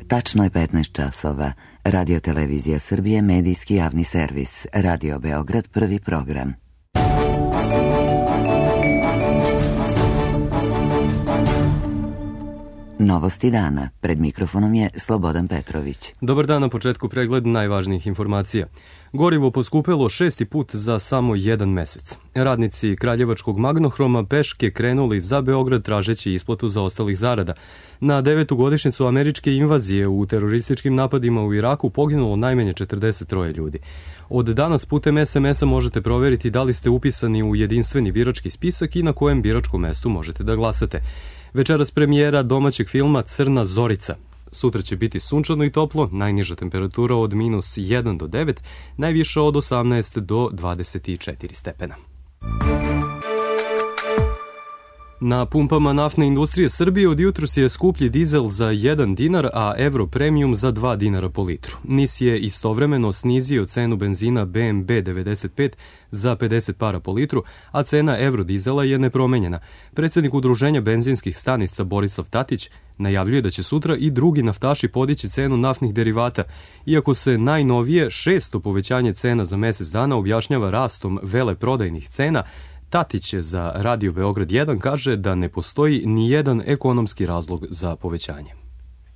Tačno je 15 časova. Radio Televizija Srbije, medijski javni servis. Radio Beograd, prvi program. Novosti dana. Pred mikrofonom je Slobodan Petrović. Dobar dan, na početku pregled najvažnijih informacija. Gorivo poskupelo 6. put za samo jedan mesec. Radnici Kraljevačkog Magnohroma peške krenuli za Beograd tražeći isplatu zaostalih zarada. Na 9. godišnjicu američke invazije u terorističkim napadima u Iraku poginulo najmanje 43 ljudi. Od danas putem SMS-a možete proveriti da li ste upisani u jedinstveni birački spisak i na kojem biračkom mestu možete da glasate. Večeras premijera domaćeg filma Crna Zorica. Sutra će biti sunčano i toplo, najniža temperatura od -1 do 9, najviša od 18 do 24 stepena. Na pumpama naftne industrije Srbije od jutros je skuplji dizel za 1 dinar, a Euro Premium za 2 dinara po litru. NIS je istovremeno snizio cenu benzina BMB 95 za 50 para po litru, a cena Eurodizela je nepromenjena. Predsjednik Udruženja benzinskih stanica Borislav Tatić najavljuje da će sutra i drugi naftaši podići cenu naftnih derivata, iako se najnovije 600 povećanje cena za mesec dana objašnjava rastom veleprodajnih cena. Tatić za Radio Beograd 1 kaže da ne postoji ni jedan ekonomski razlog za povećanje.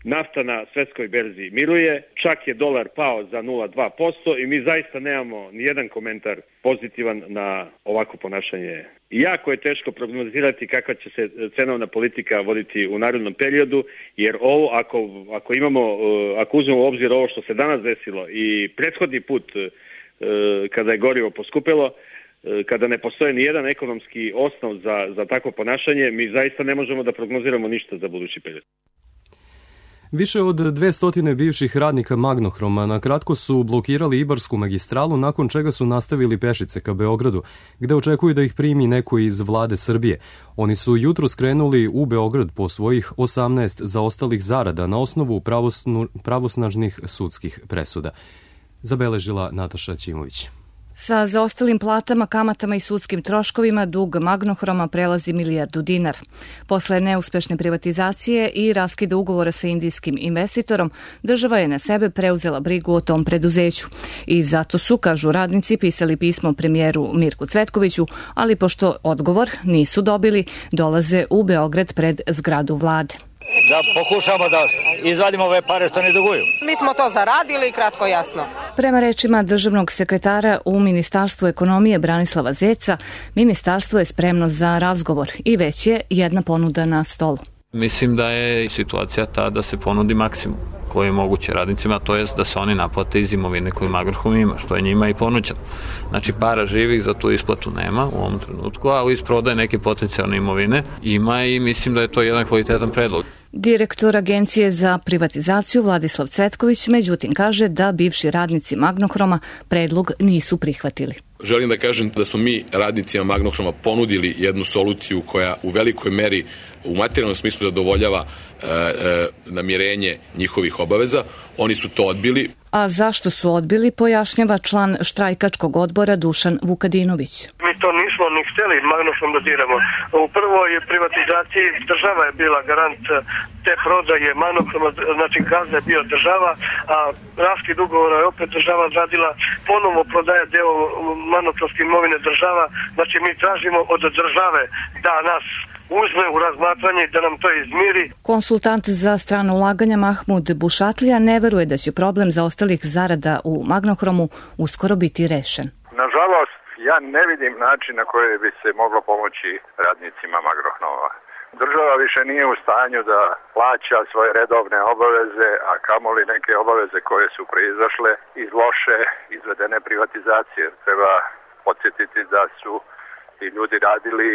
Nafta na svetskoj berzi miruje, čak je dolar pao za 0,2% i mi zaista nemamo ni jedan komentar pozitivan na ovako ponašanje. I jako je teško prognozirati kakva će se cenovna politika voditi u narednom periodu, jer ovo ako uzmemo u obzir ovo što se danas desilo i prethodni put kada je gorivo poskupelo, kada ne postoje ni jedan ekonomski osnov za takvo ponašanje, mi zaista ne možemo da prognoziramo ništa za budući period. Više od 200 bivših radnika Magnohroma na kratko su blokirali Ibarsku magistralu, nakon čega su nastavili pešice ka Beogradu, gde očekuju da ih primi neko iz vlade Srbije. Oni su jutro skrenuli u Beograd po svojih 18 zaostalih zarada na osnovu pravosnažnih sudskih presuda. Zabeležila Nataša Ćimović. Sa zaostalim platama, kamatama i sudskim troškovima dug Magnohroma prelazi milijardu dinara. Posle neuspešne privatizacije i raskida ugovora sa indijskim investitorom, država je na sebe preuzela brigu o tom preduzeću. I zato su, kažu radnici, pisali pismo premijeru Mirku Cvetkoviću, ali pošto odgovor nisu dobili, dolaze u Beograd pred zgradu vlade. Da pokušamo da izvadimo ove pare što ne duguju. Mi smo to zaradili, kratko jasno. Prema rečima državnog sekretara u Ministarstvu ekonomije Branislava Zeca, ministarstvo je spremno za razgovor i već je jedna ponuda na stolu. Mislim da je situacija ta da se ponudi maksimum koji je moguće radnicima, to je da se oni naplate iz imovine koju Magnohrom ima, što je njima i ponuđeno. Znači, para živih za tu isplatu nema u ovom trenutku, a iz prodaje neke potencijalne imovine ima i mislim da je to jedan kvalitetan predlog. Direktor Agencije za privatizaciju Vladislav Cvetković međutim kaže da bivši radnici Magnohroma predlog nisu prihvatili. Želim da kažem da smo mi radnicima Magnohroma ponudili jednu soluciju koja u velikoj meri u materijalnom smislu zadovoljava namirenje njihovih obaveza. Oni su to odbili. A zašto su odbili, pojašnjava član štrajkačkog odbora Dušan Vukadinović. Mi to nismo ni hteli Magnohrom da diramo. U prvoj privatizaciji država je bila garant te prodaje Magnohroma, znači gazda je bio država, a raskid ugovora je opet država odradila, ponovo prodaje deo magnohromske imovine država, znači mi tražimo od države da nas uzme u razmatranje i da nam to izmiri. Konsultant za strano ulaganja Mahmud Bušatlija ne veruje da će problem zaostalih zarada u Magnohromu uskoro biti rešen. Nažalost, ja ne vidim način na koji bi se moglo pomoći radnicima Magnohroma. Država više nije u stanju da plaća svoje redovne obaveze, a kamoli neke obaveze koje su proizašle iz loše izvedene privatizacije. Treba podsjetiti da su ti ljudi radili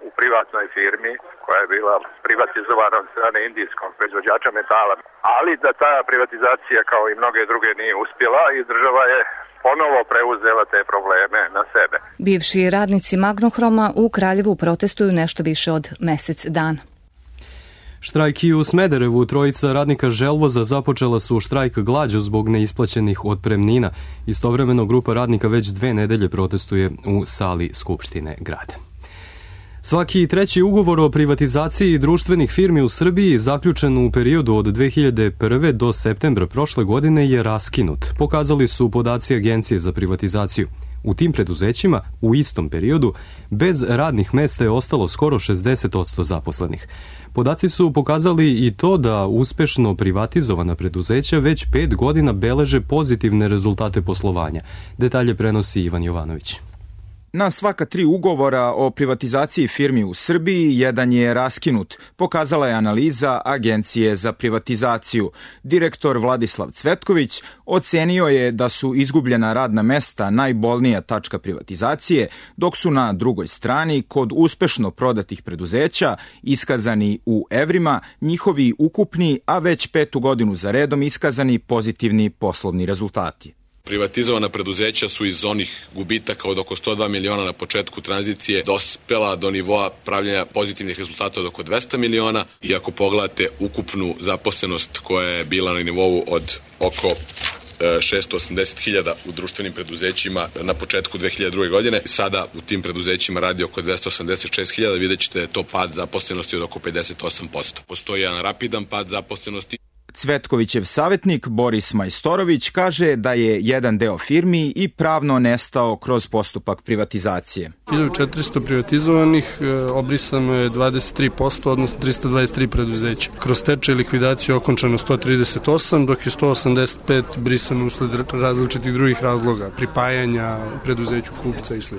u privatnoj firmi koja je bila privatizovana od strane indijskog proizvođača metala. Ali da ta privatizacija kao i mnoge druge nije uspjela i država je ponovo preuzela te probleme na sebe. Bivši radnici Magnohroma u Kraljevu protestuju nešto više od mesec dana. Štrajk i u Smederevu. Trojica radnika Želvoza započela su štrajk glađu zbog neisplaćenih otpremnina. Istovremeno grupa radnika već 2 nedelje protestuje u sali Skupštine grada. Svaki treći ugovor o privatizaciji društvenih firmi u Srbiji zaključen u periodu od 2001. do septembra prošle godine je raskinut, pokazali su podaci Agencije za privatizaciju. U tim preduzećima u istom periodu bez radnih mesta je ostalo skoro 60% zaposlenih. Podaci su pokazali i to da uspešno privatizovana preduzeća već 5 godina beleže pozitivne rezultate poslovanja. Detalje prenosi Ivan Jovanović. Na svaka 3 ugovora o privatizaciji firmi u Srbiji, jedan je raskinut, pokazala je analiza Agencije za privatizaciju. Direktor Vladislav Cvetković ocenio je da su izgubljena radna mesta najbolnija tačka privatizacije, dok su na drugoj strani, kod uspešno prodatih preduzeća, iskazani u evrima, njihovi ukupni, a već 5. godinu za redom iskazani pozitivni poslovni rezultati. Privatizovana preduzeća su iz onih gubitaka od oko 102 miliona na početku tranzicije dospela do nivoa pravljenja pozitivnih rezultata od oko 200 miliona i ako pogledate ukupnu zaposlenost koja je bila na nivou od oko 680.000 u društvenim preduzećima na početku 2002. godine. Sada u tim preduzećima radi oko 286.000, vidjet ćete da je to pad zaposlenosti od oko 58%. Postoji jedan rapidan pad zaposlenosti. Cvetkovićev savjetnik Boris Majstorović kaže da je jedan deo firmi i pravno nestao kroz postupak privatizacije. 1400 privatizovanih, obrisano je 23%, odnosno 323 preduzeća. Kroz stečaj i likvidaciju okončano 138, dok je 185 brisano usled različitih drugih razloga, pripajanja preduzeću kupca i sl.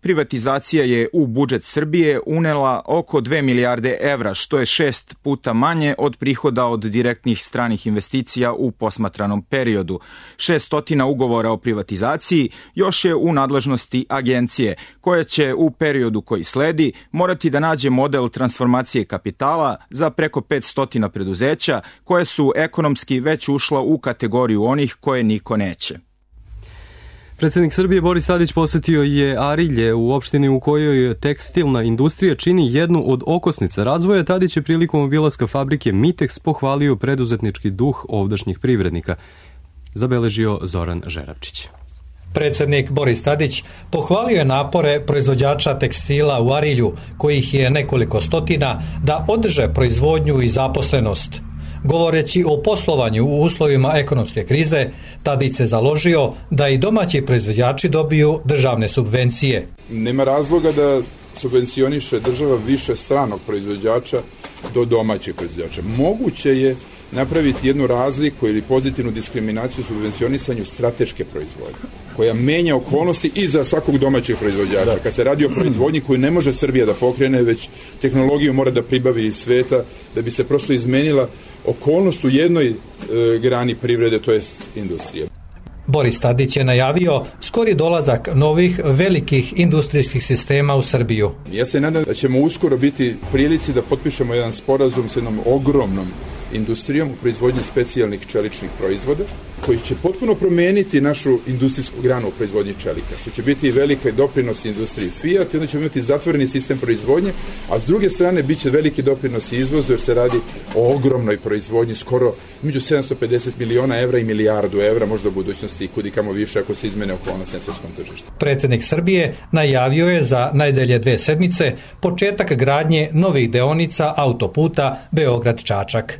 Privatizacija je u budžet Srbije unela oko 2 milijarde evra, što je 6 puta manje od prihoda od direktnih stranih investicija u posmatranom periodu. 600 ugovora o privatizaciji još je u nadležnosti agencije, koja će u periodu koji sledi morati da nađe model transformacije kapitala za preko 500 preduzeća koje su ekonomski već ušla u kategoriju onih koje niko neće. Predsjednik Srbije Boris Tadić posetio je Arilje u opštini u kojoj tekstilna industrija čini jednu od okosnica razvoja. Tadić je prilikom obilaska fabrike Mitex pohvalio preduzetnički duh ovdašnjih privrednika. Zabeležio Zoran Žeravčić. Predsjednik Boris Tadić pohvalio je napore proizvođača tekstila u Arilju, kojih je nekoliko stotina, da održe proizvodnju i zaposlenost. Govoreći o poslovanju u uslovima ekonomske krize, Tadić se založio da i domaći proizvođači dobiju državne subvencije. Nema razloga da subvencioniše država više stranog proizvođača do domaćeg proizvođača. Moguće je napraviti jednu razliku ili pozitivnu diskriminaciju u subvencionisanju strateške proizvodnje, koja menja okolnosti i za svakog domaćeg proizvođača. Kad se radi o proizvodnji koju ne može Srbija da pokrene, već tehnologiju mora da pribavi iz sveta, da bi se prosto izmenila okolnost u jednoj grani privrede, to jest industrije. Boris Tadić je najavio skori dolazak novih velikih industrijskih sistema u Srbiju. Ja se nadam da ćemo uskoro biti prilici da potpišemo jedan sporazum s jednom ogromnom industrijom u proizvodnji specijalnih čeličnih proizvoda, koji će potpuno promeniti našu industrijsku granu u proizvodnji čelika, što će biti veliki doprinos industriji Fiat, i onda ćemo imati zatvoreni sistem proizvodnje, a s druge strane bit će veliki doprinos izvozu, jer se radi o ogromnoj proizvodnji, skoro među 750 miliona evra i milijardu evra, možda u budućnosti i kudikamo više ako se izmene okolnosti na svjetskom tržištu. Predsjednik Srbije najavio je za najdalje 2 sedmice početak gradnje novih deonica autoputa Beograd-Čačak.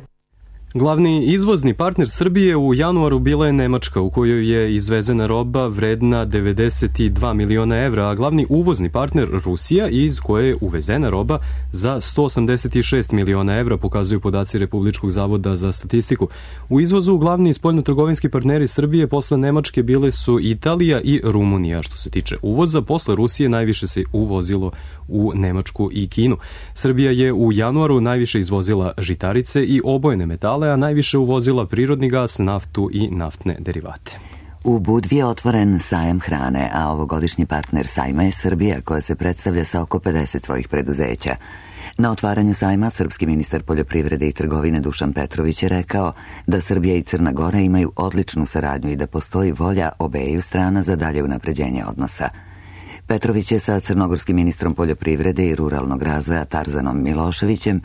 Glavni izvozni partner Srbije u januaru bila je Nemačka, u kojoj je izvezena roba vredna 92 miliona evra, a glavni uvozni partner Rusija, iz koje je uvezena roba za 186 miliona evra, pokazuju podaci Republičkog zavoda za statistiku. U izvozu glavni spoljnotrgovinski partneri Srbije posle Nemačke bile su Italija i Rumunija. Što se tiče uvoza, posle Rusije najviše se uvozilo u Nemačku i Kinu. Srbija je u januaru najviše izvozila žitarice i obojene metale, a najviše uvozila prirodni gas, naftu i naftne derivate. U Budvi je otvoren sajam hrane, a ovogodišnji partner sajma je Srbija, koja se predstavlja sa oko 50 svojih preduzeća. Na otvaranju sajma srpski ministar poljoprivrede i trgovine Dušan Petrović je rekao da Srbija i Crna Gora imaju odličnu saradnju i da postoji volja obeju strana za dalje unapređenje odnosa. Petrović je sa crnogorskim ministrom poljoprivrede i ruralnog razvoja Tarzanom Miloševićem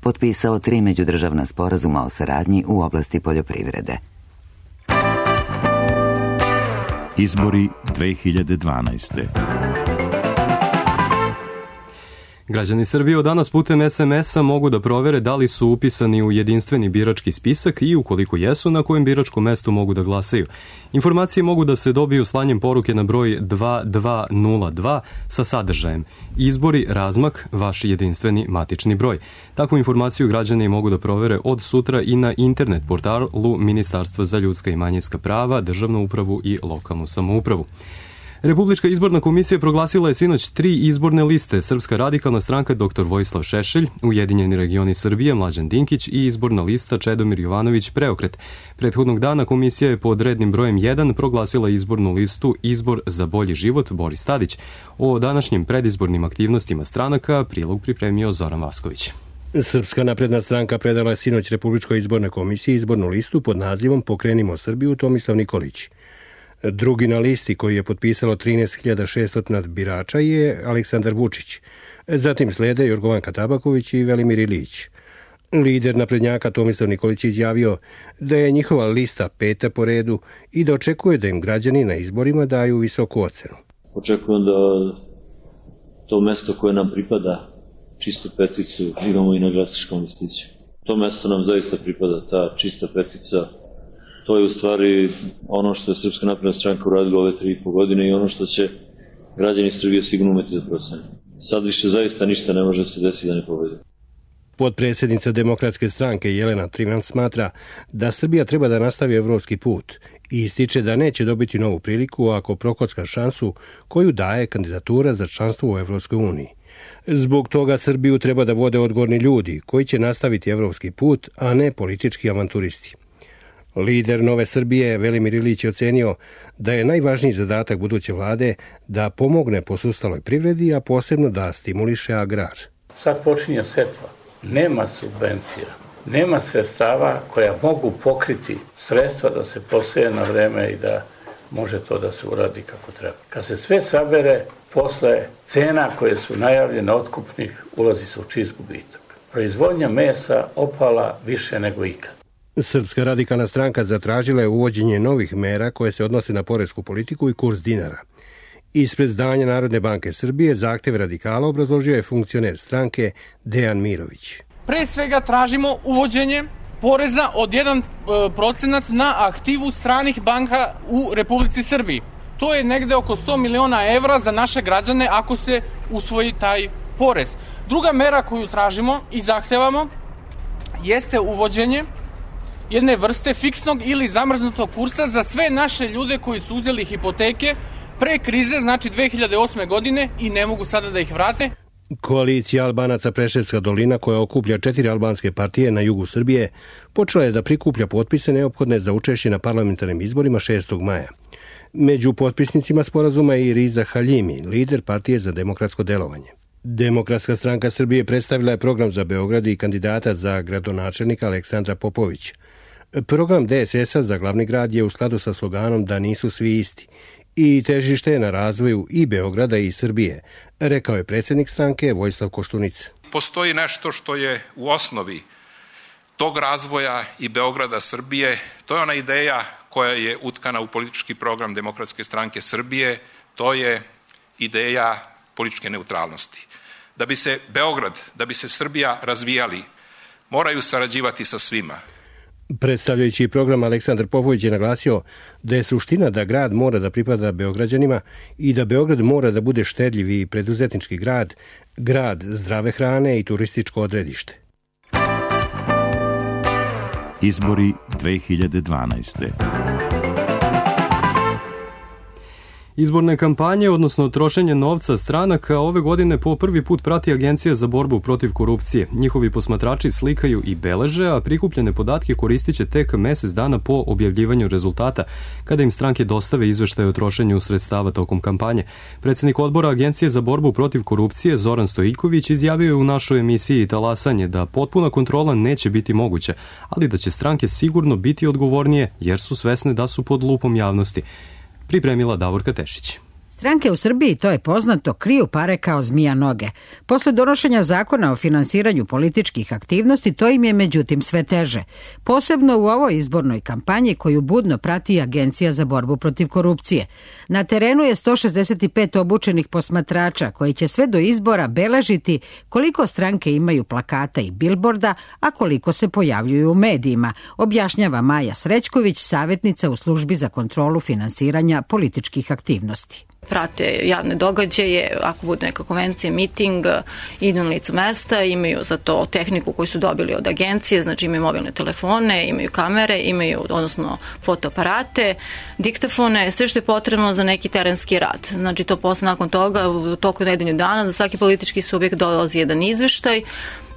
potpisao 3 međudržavna sporazuma o saradnji u oblasti poljoprivrede. Izbori 2012. Građani Srbije od danas putem SMS-a mogu da provere da li su upisani u jedinstveni birački spisak i ukoliko jesu, na kojem biračkom mestu mogu da glasaju. Informacije mogu da se dobiju slanjem poruke na broj 2202 sa sadržajem Izbori, razmak, vaš jedinstveni matični broj. Takvu informaciju građani mogu da provere od sutra i na internet portalu Ministarstva za ljudska i manjinska prava, državnu upravu i lokalnu samoupravu. Republička izborna komisija proglasila je sinoć 3 izborne liste: Srpska radikalna stranka dr. Vojislav Šešelj, Ujedinjeni regioni Srbije Mlađan Dinkić i izborna lista Čedomir Jovanović Preokret. Prethodnog dana komisija je pod rednim brojem 1 proglasila izbornu listu Izbor za bolji život Boris Tadić. O današnjim predizbornim aktivnostima stranaka prilog pripremio Zoran Vasković. Srpska napredna stranka predala je sinoć Republičkoj izbornoj komisiji izbornu listu pod nazivom Pokrenimo Srbiju Tomislav Nikolić. Drugi na listi, koji je potpisalo 13.600 birača, je Aleksandar Vučić. Zatim slede Jorgovanka Tabaković i Velimir Ilić. Lider naprednjaka Tomislav Nikolić izjavio da je njihova lista 5. po redu i da očekuje da im građani na izborima daju visoku ocenu. Očekujem da to mesto koje nam pripada, čistu peticu, imamo i na glasačkom listiću. To mesto nam zaista pripada, ta čista petica. To je u stvari ono što je Srpska napredna stranka uradila ove 3,5 godine i ono što će građani Srbije sigurno umeti da procene. Sad više zaista ništa ne može se desiti da ne pobedi. Potpredsjednica Demokratske stranke Jelena Trivan smatra da Srbija treba da nastavi evropski put i ističe da neće dobiti novu priliku ako prokocka šansu koju daje kandidatura za članstvo u Evropskoj uniji. Zbog toga Srbiju treba da vode odgovorni ljudi koji će nastaviti evropski put, a ne politički avanturisti. Lider Nove Srbije Velimir Ilić je ocenio da je najvažniji zadatak buduće vlade da pomogne posustaloj privredi, a posebno da stimuliše agrar. Sad počinje setva. Nema subvencija, nema sredstava koja mogu pokriti sredstva da se poseje na vreme i da može to da se uradi kako treba. Kad se sve sabere, posle cena koje su najavljene otkupnih ulazi se u čist gubitak. Proizvodnja mesa opala više nego ikad. Srpska radikalna stranka zatražila je uvođenje novih mera koje se odnose na poresku politiku i kurs dinara. Ispred zdanja Narodne banke Srbije zahteve radikala obrazložio je funkcioner stranke Dejan Mirović. Pre svega tražimo uvođenje poreza od 1% na aktivu stranih banka u Republici Srbiji. To je negde oko 100 miliona evra za naše građane ako se usvoji taj porez. Druga mera koju tražimo i zahtevamo jeste uvođenje jedne vrste fiksnog ili zamrznutog kursa za sve naše ljude koji su uzeli hipoteke pre krize, znači 2008. godine i ne mogu sada da ih vrate. Koalicija Albanaca Preševska dolina, koja okuplja 4 albanske partije na jugu Srbije, počela je da prikuplja potpise neophodne za učešće na parlamentarnim izborima 6. maja. Među potpisnicima sporazuma je i Riza Haljimi, lider partije za demokratsko delovanje. Demokratska stranka Srbije predstavila je program za Beograd i kandidata za gradonačelnika Aleksandra Popović. Program DSS-a za glavni grad je u skladu sa sloganom da nisu svi isti i težište je na razvoju i Beograda i Srbije, rekao je predsjednik stranke Vojislav Koštunica. Postoji nešto što je u osnovi tog razvoja i Beograda, Srbije. To je ona ideja koja je utkana u politički program Demokratske stranke Srbije. To je ideja političke neutralnosti. Da bi se Beograd, da bi se Srbija razvijali, moraju sarađivati sa svima. Predstavljajući program, Aleksandar Popović je naglasio da je suština da grad mora da pripada Beograđanima i da Beograd mora da bude štedljiv i preduzetnički grad, grad zdrave hrane i turističko odredište. Izbori 2012. Izborne kampanje, odnosno trošenje novca stranaka, ove godine po prvi put prati Agencija za borbu protiv korupcije. Njihovi posmatrači slikaju i beleže, a prikupljene podatke koristit će tek mesec dana po objavljivanju rezultata, kada im stranke dostave izveštaje o trošenju sredstava tokom kampanje. Predsjednik odbora Agencije za borbu protiv korupcije Zoran Stojiković izjavio je u našoj emisiji Talasanje da potpuna kontrola neće biti moguća, ali da će stranke sigurno biti odgovornije jer su svesne da su pod lupom javnosti. Pripremila Davorka Tešić. Stranke u Srbiji, to je poznato, kriju pare kao zmija noge. Posle donošenja zakona o finansiranju političkih aktivnosti, to im je međutim sve teže. Posebno u ovoj izbornoj kampanji koju budno prati Agencija za borbu protiv korupcije. Na terenu je 165 obučenih posmatrača koji će sve do izbora beležiti koliko stranke imaju plakata i bilborda, a koliko se pojavljuju u medijima, objašnjava Maja Srećković, savjetnica u službi za kontrolu finansiranja političkih aktivnosti. Prate javne događaje, ako bude neka konvencija, miting, idu na licu mesta, imaju za to tehniku koju su dobili od agencije, znači imaju mobilne telefone, imaju kamere, imaju, odnosno fotoaparate, diktafone, sve što je potrebno za neki terenski rad. Znači to posle nakon toga, u toku nedelju dana, za svaki politički subjekt dolazi jedan izveštaj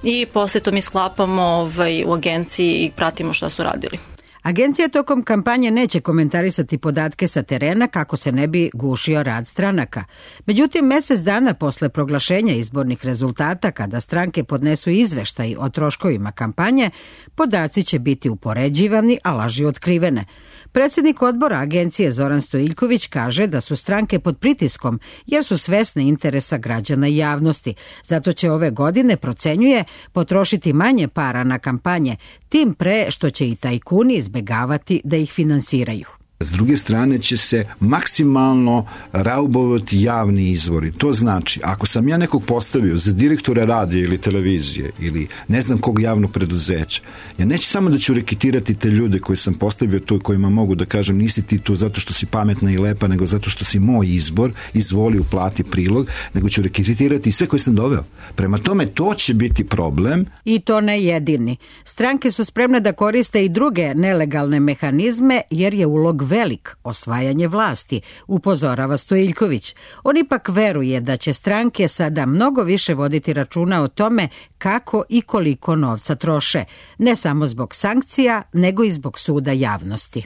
i posle to mi sklapamo u agenciji i pratimo šta su radili. Agencija tokom kampanje neće komentarisati podatke sa terena kako se ne bi gušio rad stranaka. Međutim, mesec dana posle proglašenja izbornih rezultata, kada stranke podnesu izveštaj o troškovima kampanje, podaci će biti upoređivani, a laži otkrivene. Predsjednik odbora agencije Zoran Stojiljković kaže da su stranke pod pritiskom jer su svesne interesa građana i javnosti. Zato će ove godine, procenjuje, potrošiti manje para na kampanje, tim pre što će i tajkuni izbegavati da ih finansiraju. S druge strane će se maksimalno raubovati javni izvori. To znači, ako sam ja nekog postavio za direktora radija ili televizije ili ne znam kog javnog preduzeća, ja neću samo da ću reketirati te ljude koje sam postavio tu, kojima mogu da kažem nisi ti tu zato što si pametna i lepa, nego zato što si moj izbor, izvoli uplati prilog, nego ću reketirati i sve koje sam doveo. Prema tome, to će biti problem. I to ne jedini. Stranke su spremne da koriste i druge nelegalne mehanizme jer je ulog velik, osvajanje vlasti, upozorava Stojiljković. On ipak veruje da će stranke sada mnogo više voditi računa o tome kako i koliko novca troše, ne samo zbog sankcija, nego i zbog suda javnosti.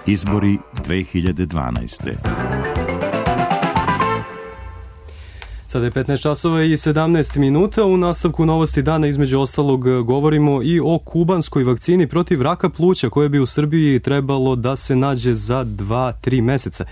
Izbori 2012. Sada je 15 časova i 17 minuta. U nastavku novosti dana između ostalog govorimo i o kubanskoj vakcini protiv raka pluća koje bi u Srbiji trebalo da se nađe za 2-3 meseca.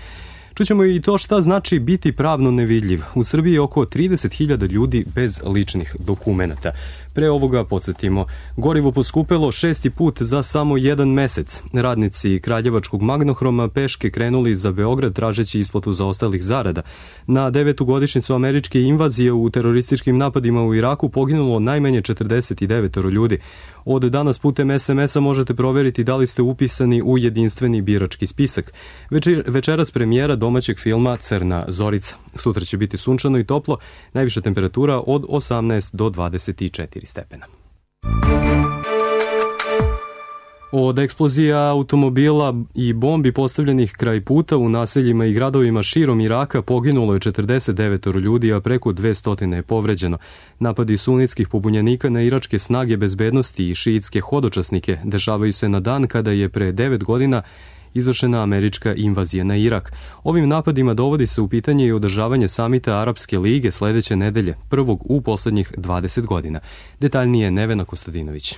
Čućemo i to šta znači biti pravno nevidljiv. U Srbiji je oko 30.000 ljudi bez ličnih dokumenata. Pre ovoga podsjetimo, gorivo poskupelo 6. put za samo 1 mesec. Radnici Kraljevačkog Magnohroma peške krenuli za Beograd tražeći isplatu zaostalih zarada. Na 9. godišnjicu američke invazije u terorističkim napadima u Iraku poginulo najmanje 49 ljudi. Od danas putem SMS-a možete proveriti da li ste upisani u jedinstveni birački spisak. Večeras premijera domaćeg filma Crna Zorica. Sutra će biti sunčano i toplo, najviša temperatura od 18 do 24 stepena. Od eksplozija automobila i bombi postavljenih kraj puta u naseljima i gradovima širom Iraka poginulo je 49 ljudi, a preko 200 je povređeno. Napadi sunitskih pobunjenika na iračke snage bezbednosti i šiitske hodočasnike dešavaju se na dan kada je pre 9 godina izvršena američka invazija na Irak. Ovim napadima dovodi se u pitanje i održavanje samita Arapske lige sledeće nedelje, prvog u poslednjih 20 godina. Detaljnije Nevena Kostadinović.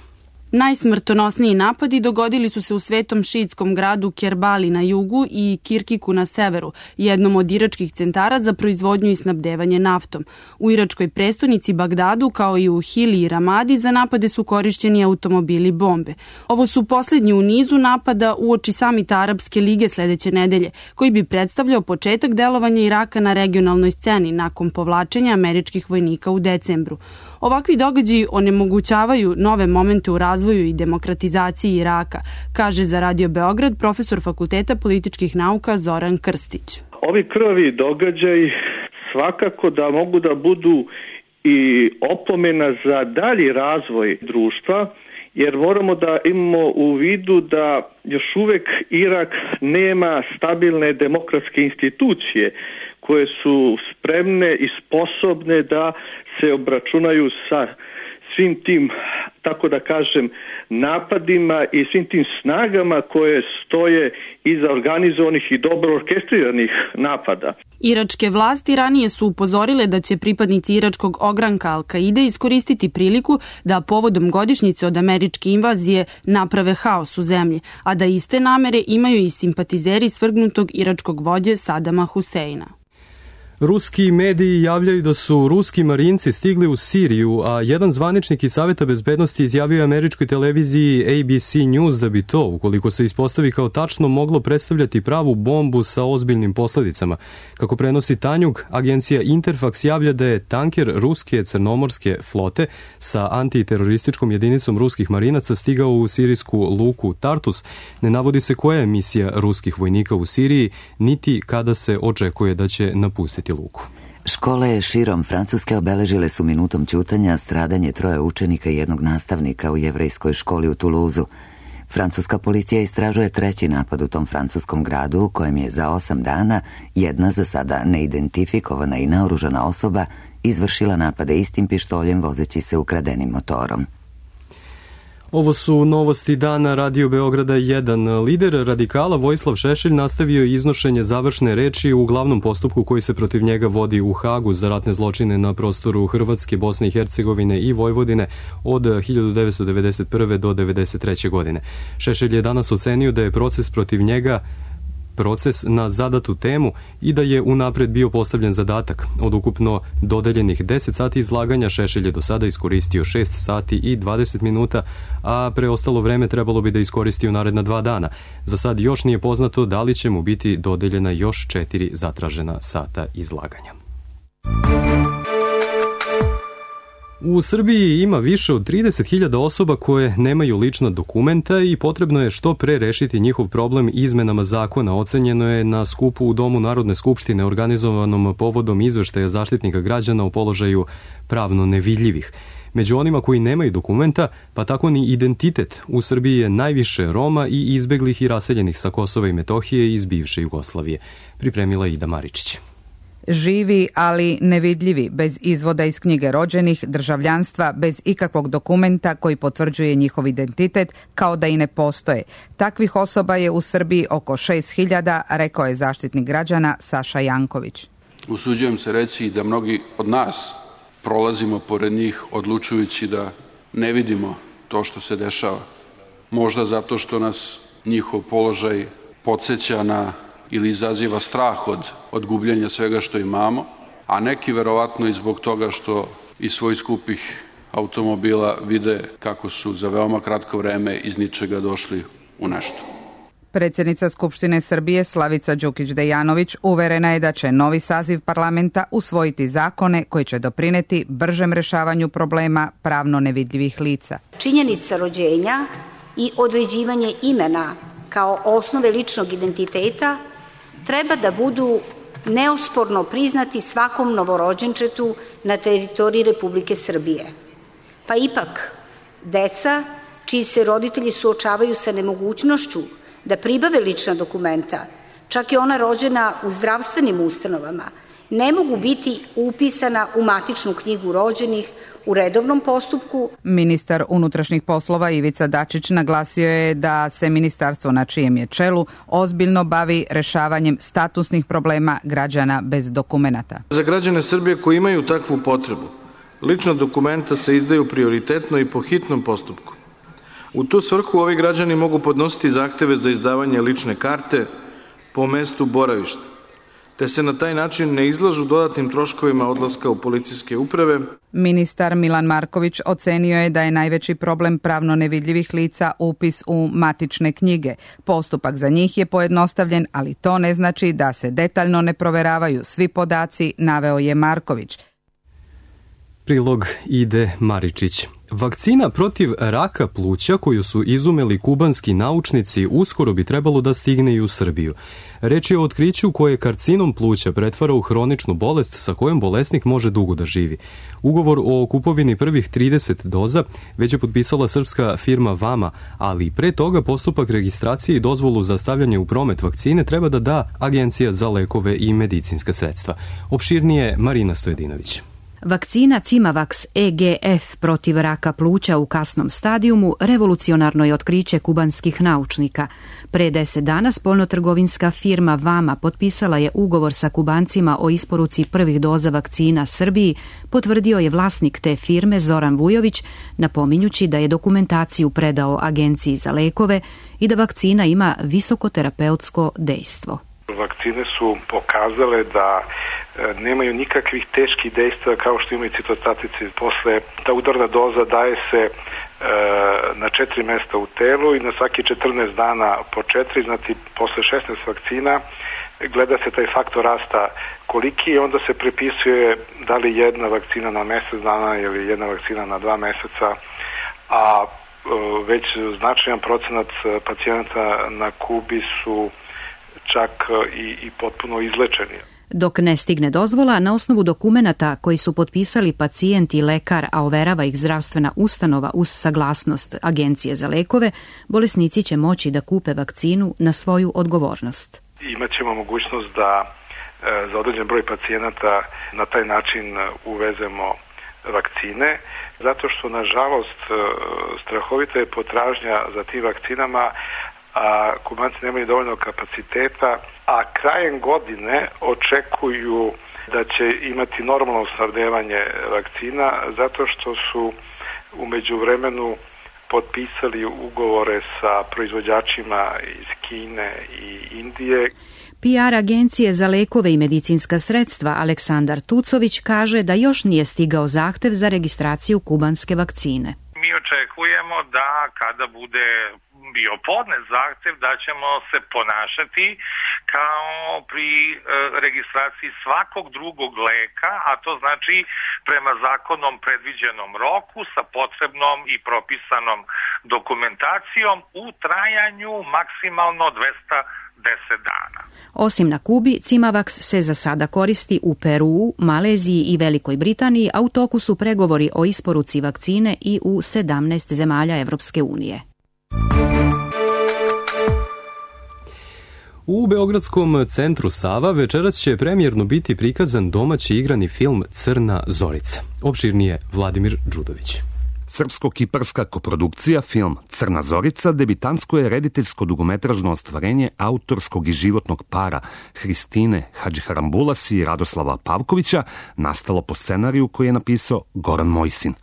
Najsmrtonosniji napadi dogodili su se u svetom šiitskom gradu Kerbali na jugu i Kirkiku na severu, jednom od iračkih centara za proizvodnju i snabdevanje naftom. U iračkoj prestonici Bagdadu, kao i u Hili i Ramadi, za napade su korišćeni automobili bombe. Ovo su poslednji u nizu napada uoči samita Arapske lige sledeće nedelje, koji bi predstavljao početak delovanja Iraka na regionalnoj sceni nakon povlačenja američkih vojnika u decembru. Ovakvi događaji onemogućavaju nove momente u razvoju i demokratizaciji Iraka, kaže za Radio Beograd profesor Fakulteta političkih nauka Zoran Krstić. Ovi krvavi događaji svakako da mogu da budu i opomena za dalji razvoj društva, jer moramo da imamo u vidu da još uvek Irak nema stabilne demokratske institucije koje su spremne i sposobne da se obračunaju sa svim tim tako da kažem, napadima i svim tim snagama koje stoje iza organizovanih i dobro orkestriranih napada. Iračke vlasti ranije su upozorile da će pripadnici iračkog ogranka Al-Kaide iskoristiti priliku da povodom godišnjice od američke invazije naprave haos u zemlji, a da iste namere imaju i simpatizeri svrgnutog iračkog vođe Sadama Huseina. Ruski mediji javljaju da su ruski marinci stigli u Siriju, a jedan zvaničnik iz Saveta bezbednosti izjavio je američkoj televiziji ABC News da bi to, ukoliko se ispostavi kao tačno, moglo predstavljati pravu bombu sa ozbiljnim posledicama. Kako prenosi Tanjug, agencija Interfax javlja da je tanker ruske crnomorske flote sa antiterorističkom jedinicom ruskih marinaca stigao u sirijsku luku Tartus. Ne navodi se koja je misija ruskih vojnika u Siriji, niti kada se očekuje da će napustiti luku. Škole širom Francuske obeležile su minutom ćutanja stradanje 3 učenika i 1 nastavnika u jevrejskoj školi u Toulouseu. Francuska policija istražuje 3. napad u tom francuskom gradu u kojem je za 8 dana jedna za sada neidentifikovana i naoružana osoba izvršila napade istim pištoljem vozeći se ukradenim motorom. Ovo su novosti dana Radio Beograda 1. Lider radikala Vojislav Šešelj nastavio iznošenje završne reči u glavnom postupku koji se protiv njega vodi u Hagu za ratne zločine na prostoru Hrvatske, Bosne i Hercegovine i Vojvodine od 1991. do 1993. godine. Šešelj je danas ocenio da je proces protiv njega proces na zadatu temu i da je unapred bio postavljen zadatak. Od ukupno dodeljenih 10 sati izlaganja Šešelj je do sada iskoristio 6 sati i 20 minuta, a preostalo vreme trebalo bi da iskoristi u naredna 2 dana. Za sad još nije poznato da li će mu biti dodeljena još 4 zatražena sata izlaganja. U Srbiji ima više od 30.000 osoba koje nemaju lična dokumenta i potrebno je što pre rešiti njihov problem izmenama zakona. Ocenjeno je na skupu u Domu Narodne skupštine organizovanom povodom izveštaja Zaštitnika građana o položaju pravno nevidljivih. Među onima koji nemaju dokumenta, pa tako ni identitet, u Srbiji je najviše Roma i izbeglih i raseljenih sa Kosova i Metohije iz bivše Jugoslavije. Pripremila Ida Maričić. Živi, ali nevidljivi, bez izvoda iz knjige rođenih, državljanstva, bez ikakvog dokumenta koji potvrđuje njihov identitet, kao da i ne postoje. Takvih osoba je u Srbiji oko 6.000, rekao je Zaštitnik građana Saša Janković. Usuđujem se reći da mnogi od nas prolazimo pored njih odlučujući da ne vidimo to što se dešava. Možda zato što nas njihov položaj podsjeća na ili izaziva strah od gubljenja svega što imamo, a neki verovatno i zbog toga što iz svojih skupih automobila vide kako su za veoma kratko vreme iz ničega došli u nešto. Predsjednica Skupštine Srbije Slavica Đukić-Dejanović uverena je da će novi saziv parlamenta usvojiti zakone koji će doprineti bržem rešavanju problema pravno nevidljivih lica. Činjenica rođenja i određivanje imena kao osnove ličnog identiteta treba da budu neosporno priznati svakom novorođenčetu na teritoriji Republike Srbije. Pa ipak, deca čiji se roditelji suočavaju sa nemogućnošću da pribave lična dokumenta, čak i ona rođena u zdravstvenim ustanovama, ne mogu biti upisana u matičnu knjigu rođenih u redovnom postupku. Ministar unutrašnjih poslova Ivica Dačić naglasio je da se ministarstvo na čijem je čelu ozbiljno bavi rešavanjem statusnih problema građana bez dokumenata. Za građane Srbije koji imaju takvu potrebu, lična dokumenta se izdaju prioritetno i po hitnom postupku. U tu svrhu ovi građani mogu podnositi zahteve za izdavanje lične karte po mestu boravišta, te se na taj način ne izlažu dodatnim troškovima odlaska u policijske uprave. Ministar Milan Marković ocenio je da je najveći problem pravno nevidljivih lica upis u matične knjige. Postupak za njih je pojednostavljen, ali to ne znači da se detaljno ne proveravaju svi podaci, naveo je Marković. Prilog Ide Maričić. Vakcina protiv raka pluća koju su izumeli kubanski naučnici uskoro bi trebalo da stigne i u Srbiju. Reč je o otkriću koje karcinom pluća pretvara u hroničnu bolest sa kojom bolesnik može dugo da živi. Ugovor o kupovini prvih 30 doza već je potpisala srpska firma Vama, ali pre toga postupak registracije i dozvolu za stavljanje u promet vakcine treba da Agencija za lekove i medicinska sredstva. Opširnije Marina Stojedinović. Vakcina Cimavax EGF protiv raka pluća u kasnom stadijumu revolucionarno je otkriće kubanskih naučnika. Pre 10 dana spoljnotrgovinska firma Vama potpisala je ugovor sa Kubancima o isporuci prvih doza vakcina Srbiji, potvrdio je vlasnik te firme Zoran Vujović, napominjući da je dokumentaciju predao Agenciji za lekove i da vakcina ima visokoterapeutsko dejstvo. Vakcine su pokazale da nemaju nikakvih teških dejstva kao što imaju citostatici. Posle ta udarna doza daje se na 4 mesta u telu i na svaki 14 dana po 4, znači posle 16 vakcina gleda se taj faktor rasta koliki i onda se prepisuje da li jedna vakcina na mesec dana ili jedna vakcina na 2 meseca, a već značajan procenat pacijenata na Kubi su čak i potpuno izlečeni. Dok ne stigne dozvola, na osnovu dokumenata koji su potpisali pacijent i lekar, a overava ih zdravstvena ustanova uz saglasnost Agencije za lekove, bolesnici će moći da kupe vakcinu na svoju odgovornost. Imaćemo mogućnost da za određen broj pacijenata na taj način uvezemo vakcine, zato što nažalost strahovita je potražnja za tim vakcinama, a Kubanci nemaju dovoljno kapaciteta, a krajem godine očekuju da će imati normalno snabdevanje vakcina zato što su u međuvremenu potpisali ugovore sa proizvođačima iz Kine i Indije. PR agencije za lekove i medicinska sredstva Aleksandar Tucović kaže da još nije stigao zahtev za registraciju kubanske vakcine. Mi očekujemo da kada bude bio podnet zahtev da ćemo se ponašati kao pri registraciji svakog drugog leka, a to znači prema zakonom predviđenom roku sa potrebnom i propisanom dokumentacijom u trajanju maksimalno 210 dana. Osim na Kubi, Cimavax se za sada koristi u Peruu, Maleziji i Velikoj Britaniji, a u toku su pregovori o isporuci vakcine i u 17 zemalja Evropske unije. U Beogradskom centru Sava večeras će premijerno biti prikazan domaći igrani film Crna Zorica. Opširnije Vladimir Đudović. Srpsko-kiparska koprodukcija film Crna Zorica debitansko je rediteljsko dugometražno ostvarenje autorskog i životnog para Hristine Hadžiharambulas i Radoslava Pavkovića, nastalo po scenariju koji je napisao Goran Mojsin.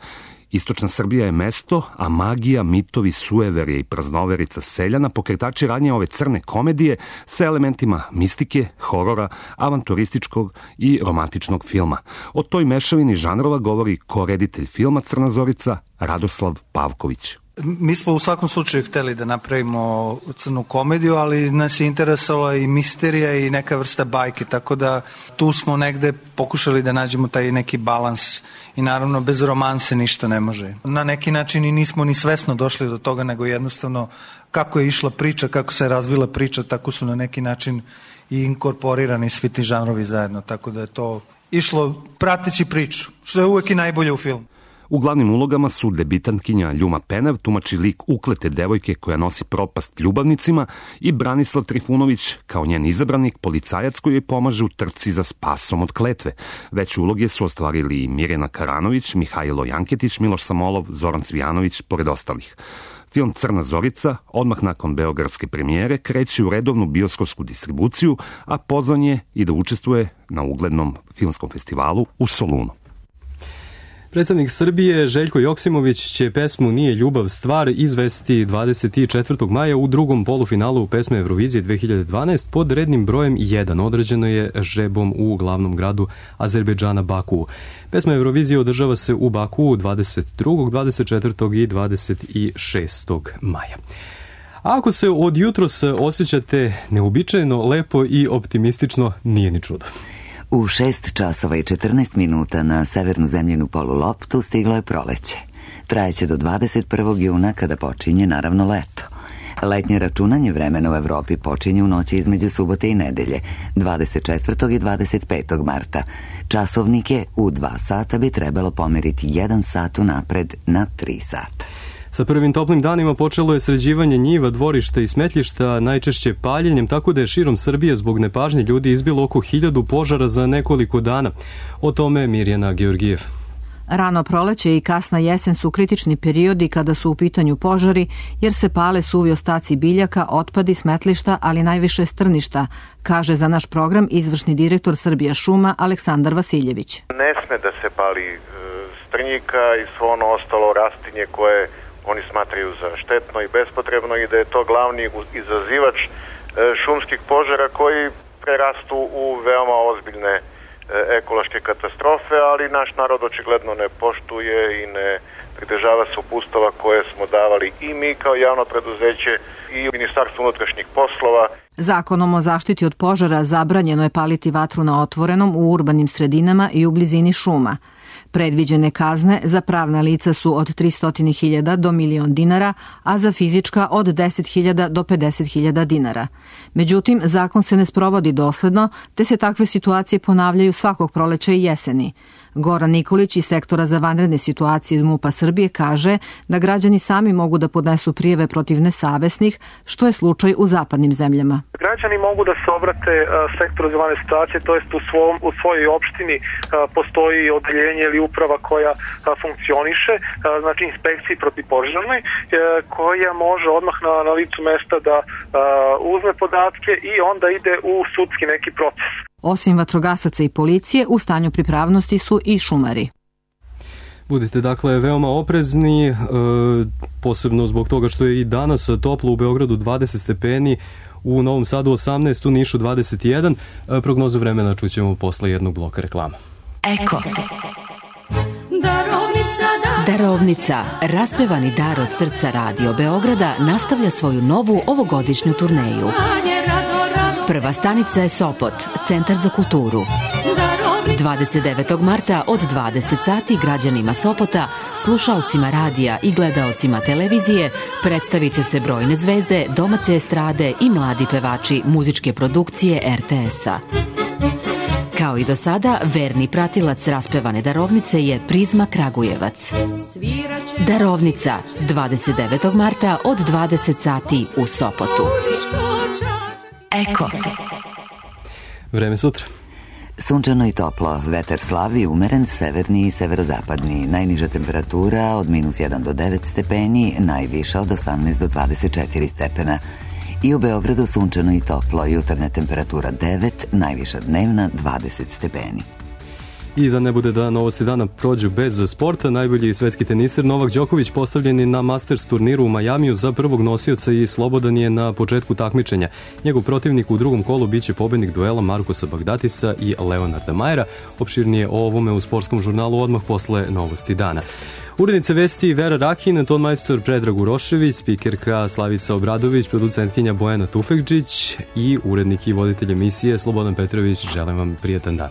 Istočna Srbija je mesto, a magija, mitovi, sueverje i praznoverica seljana pokretači radnje ove crne komedije sa elementima mistike, horora, avanturističkog i romantičnog filma. O toj mešavini žanrova govori koreditelj filma Crna Zorica Radoslav Pavković. Mi smo u svakom slučaju hteli da napravimo crnu komediju, ali nas je interesovala i misterija i neka vrsta bajke, tako da tu smo negde pokušali da nađemo taj neki balans i naravno bez romanse ništa ne može. Na neki način i nismo ni svesno došli do toga, nego jednostavno kako je išla priča, kako se razvila priča, tako su na neki način i inkorporirani svi ti žanrovi zajedno, tako da je to išlo prateći priču, što je uvek i najbolje u filmu. U glavnim ulogama su debitantkinja Ljuma Penev, tumači lik uklete devojke koja nosi propast ljubavnicima, i Branislav Trifunović, kao njen izabranik, policajac koji joj pomaže u trci za spasom od kletve. Veće uloge su ostvarili Mirjana Karanović, Mihajlo Janketić, Miloš Samolov, Zoran Cvijanović, pored ostalih. Film Crna Zorica, odmah nakon beogradske premijere, kreće u redovnu bioskopsku distribuciju, a pozvan je i da učestvuje na uglednom filmskom festivalu u Solunu. Predstavnik Srbije Željko Joksimović će pesmu Nije ljubav stvar izvesti 24. maja u drugom polufinalu pesme Eurovizije 2012 pod rednim brojem 1. Određeno je žrebom u glavnom gradu Azerbejdžana Bakuu. Pesma Eurovizije održava se u Bakuu 22., 24. i 26. maja. A ako se od jutros osjećate neuobičajeno, lepo i optimistično, nije ni čudo. U 6 časova i 14 minuta na severnu zemljinu poluloptu stiglo je proleće. Trajeće do 21. juna kada počinje naravno leto. Letnje računanje vremena u Evropi počinje u noći između subote i nedelje, 24. i 25. marta. Časovnike u 2 sata bi trebalo pomeriti 1 sat unapred na 3 sata. Sa prvim toplim danima počelo je sređivanje njiva, dvorišta i smetlišta, najčešće paljenjem, tako da je širom Srbije zbog nepažnje ljudi izbilo oko 1000 požara za nekoliko dana. O tome Mirjana Georgijev. Rano proleće i kasna jesen su kritični periodi kada su u pitanju požari, jer se pale suvi ostaci biljaka, otpadi, smetlišta, ali najviše strništa, kaže za naš program izvršni direktor Srbija šuma Aleksandar Vasiljević. Ne sme da se pali strnjika i svo ono ostalo rastinje koje oni smatraju za štetno i bespotrebno i da je to glavni izazivač šumskih požara koji prerastu u veoma ozbiljne ekološke katastrofe, ali naš narod očigledno ne poštuje i ne pridržava se uputstava koje smo davali i mi kao javno preduzeće i Ministarstvo unutrašnjih poslova. Zakonom o zaštiti od požara zabranjeno je paliti vatru na otvorenom u urbanim sredinama i u blizini šuma. Predviđene kazne za pravna lica su od 300.000 do 1.000.000 dinara, a za fizička od 10.000 do 50.000 dinara. Međutim, zakon se ne sprovodi dosledno, te se takve situacije ponavljaju svakog proleća i jeseni. Goran Nikolić iz sektora za vanredne situacije iz MUP-a Srbije kaže da građani sami mogu da podnesu prijeve protiv nesavesnih, što je slučaj u zapadnim zemljama. Građani mogu da se obrate sektoru za vanredne situacije, to jest u svojoj opštini postoji odeljenje ili uprava koja funkcioniše, znači inspekciji protivpožarnoj, koja može odmah na licu mesta da uzme podatke i onda ide u sudski neki proces. Osim vatrogasaca i policije, u stanju pripravnosti su i šumari. Budite dakle veoma oprezni, posebno zbog toga što je i danas toplo, u Beogradu 20 stepeni, u Novom Sadu 18, u Nišu 21. Prognozu vremena čućemo posle jednog bloka reklama. Eko. Darovnica, raspevani dar od srca Radio Beograda, nastavlja svoju novu ovogodišnju turneju. Prva stanica je Sopot, Centar za kulturu. 29. marta od 20 sati građanima Sopota, slušalcima radija i gledaocima televizije predstavit će se brojne zvezde, domaće estrade i mladi pevači muzičke produkcije RTS-a. Kao i do sada, verni pratilac raspevane darovnice je Prizma Kragujevac. Darovnica, 29. marta od 20 sati u Sopotu. Eko. Vreme sutra. Sunčano i toplo, vetar slabi, umeren, severni i severozapadni. Najniža temperatura od -1 do 9 stepeni, najviša od 18 do 24 stepena. I u Beogradu sunčano i toplo, jutarnja temperatura 9, najviša dnevna 20 stepeni. I da ne bude da novosti dana prođu bez sporta, najbolji svetski teniser Novak Đoković postavljen je na Masters turniru u Majamiju za prvog nosioca i slobodan je na početku takmičenja. Njegov protivnik u drugom kolu biće pobednik duela Markusa Bagdatisa i Leonarda Majera. Opširnije o ovome u sportskom žurnalu odmah posle novosti dana. Urednica vesti Vera Rakin, tonmajstor Predrag Urošević, spikerka Slavica Obradović, producentkinja Bojana Tufekđić i urednik i voditelj emisije Slobodan Petrović. Želim vam prijetan dan.